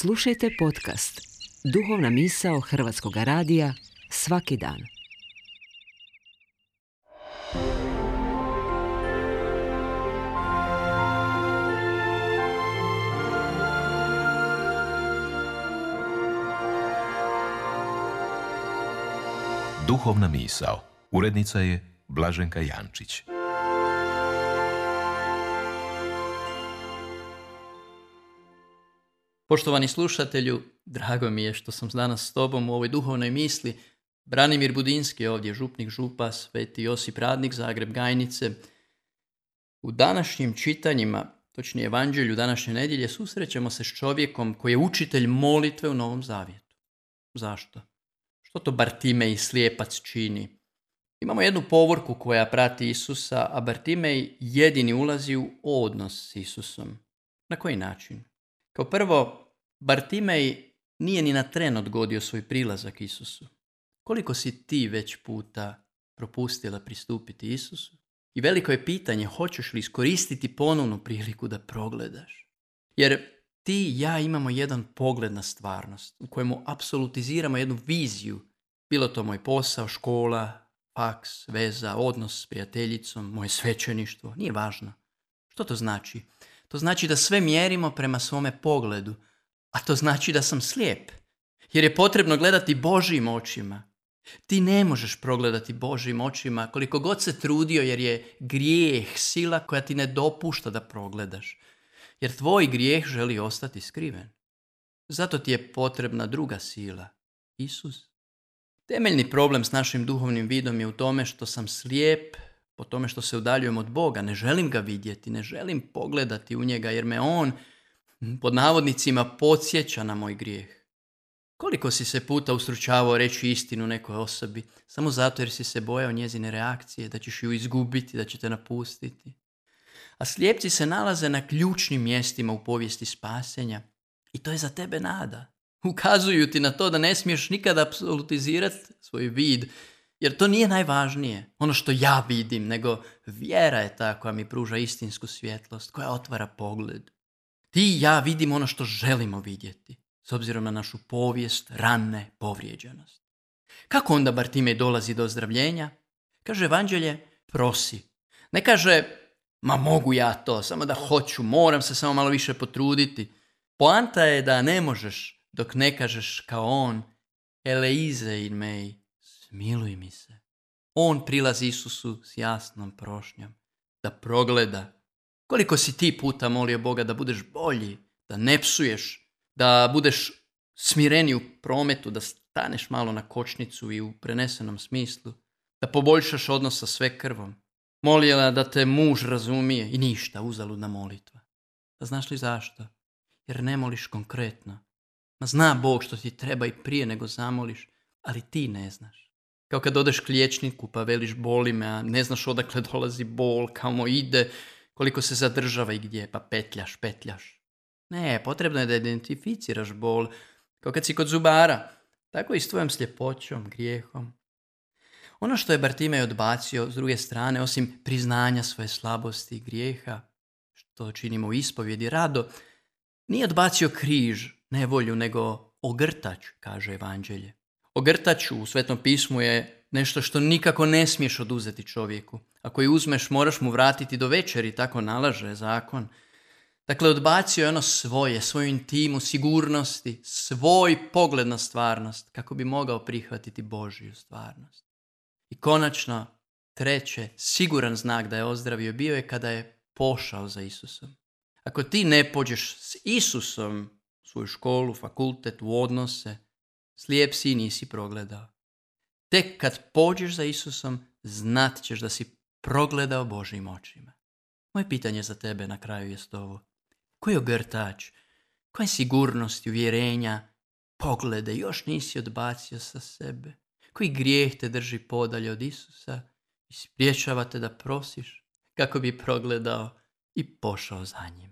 Slušajte podcast Duhovna misao Hrvatskog radija svaki dan. Duhovna misao. Urednica je Blaženka Jančić. Poštovani slušatelju, drago mi je što sam danas s tobom u ovoj duhovnoj misli. Branimir Budinski je ovdje, župnik župa, Sveti Josip Radnik, Zagreb Gajnice. U današnjim čitanjima, točnije evanđelju današnje nedjelje, susrećemo se s čovjekom koji je učitelj molitve u Novom Zavjetu. Zašto? Što to Bartimej, slijepac, čini? Imamo jednu povorku koja prati Isusa, a Bartimej jedini ulazi u odnos s Isusom. Na koji način? Kao prvo, Bartimej nije ni na tren odgodio svoj prilazak Isusu. Koliko si ti već puta propustila pristupiti Isusu? I veliko je pitanje, hoćeš li iskoristiti ponovnu priliku da progledaš? Jer ti i ja imamo jedan pogled na stvarnost u kojemu apsolutiziramo jednu viziju. Bilo to moj posao, škola, faks, veza, odnos s prijateljicom, moje svećeništvo, nije važno. Što to znači? To znači da sve mjerimo prema svome pogledu, a to znači da sam slijep, jer je potrebno gledati Božjim očima. Ti ne možeš progledati Božjim očima koliko god se trudio, jer je grijeh sila koja ti ne dopušta da progledaš, jer tvoj grijeh želi ostati skriven. Zato ti je potrebna druga sila, Isus. Temeljni problem s našim duhovnim vidom je u tome što sam slijep, po tome što se udaljujem od Boga, ne želim ga vidjeti, ne želim pogledati u njega, jer me on, pod navodnicima, podsjeća na moj grijeh. Koliko si se puta ustručavao reći istinu nekoj osobi, samo zato jer si se bojao njezine reakcije, da ćeš ju izgubiti, da će te napustiti. A slijepci se nalaze na ključnim mjestima u povijesti spasenja i to je za tebe nada. Ukazuju ti na to da ne smiješ nikada apsolutizirati svoj vid, jer to nije najvažnije, ono što ja vidim, nego vjera je ta koja mi pruža istinsku svjetlost, koja otvara pogled. Ti i ja vidimo ono što želimo vidjeti, s obzirom na našu povijest, rane, povrijeđenost. Kako onda Bartimej dolazi do ozdravljenja? Kaže evanđelje, prosi. Ne kaže, ma mogu ja to, samo da hoću, moram se samo malo više potruditi. Poanta je da ne možeš dok ne kažeš kao on, Eleize in mei, smiluj mi se. On prilazi Isusu s jasnom prošnjom, da progleda. Koliko si ti puta molio Boga da budeš bolji, da ne psuješ, da budeš smireniji u prometu, da staneš malo na kočnicu i u prenesenom smislu, da poboljšaš odnos sa sve krvom. Molila da te muž razumije i ništa, uzaludna molitva. Da znaš li zašto? Jer ne moliš konkretno. Ma zna Bog što ti treba i prije nego zamoliš, ali ti ne znaš. Kao kad odeš k liječniku pa veliš boli me, a ne znaš odakle dolazi bol, kamo ide, koliko se zadržava i gdje, pa petljaš. Ne, potrebno je da identificiraš bol, kao kad si kod zubara, tako i s tvojom sljepoćom, grijehom. Ono što je Bartimej odbacio, s druge strane, osim priznanja svoje slabosti i grijeha, što činimo u ispovjedi rado, nije odbacio križ, nevolju, nego ogrtač, kaže evanđelje. Ogrtač u Svetom pismu je nešto što nikako ne smiješ oduzeti čovjeku. Ako je uzmeš, moraš mu vratiti do večeri, tako nalaže zakon. Dakle, odbacio je ono svoje, svoju intimu, sigurnosti, svoj pogled na stvarnost, kako bi mogao prihvatiti Božju stvarnost. I konačno, treće, siguran znak da je ozdravio bio je kada je pošao za Isusom. Ako ti ne pođeš s Isusom u svoju školu, fakultet, u odnose, slijep si i nisi progledao. Tek kad pođeš za Isusom, znat ćeš da si progledao Božjim očima. Moje pitanje za tebe na kraju jest ovo. Koji ogrtač, koje sigurnosti, uvjerenja, poglede još nisi odbacio sa sebe? Koji grijeh te drži podalje od Isusa i spriječava te da prosiš kako bi progledao i pošao za njim?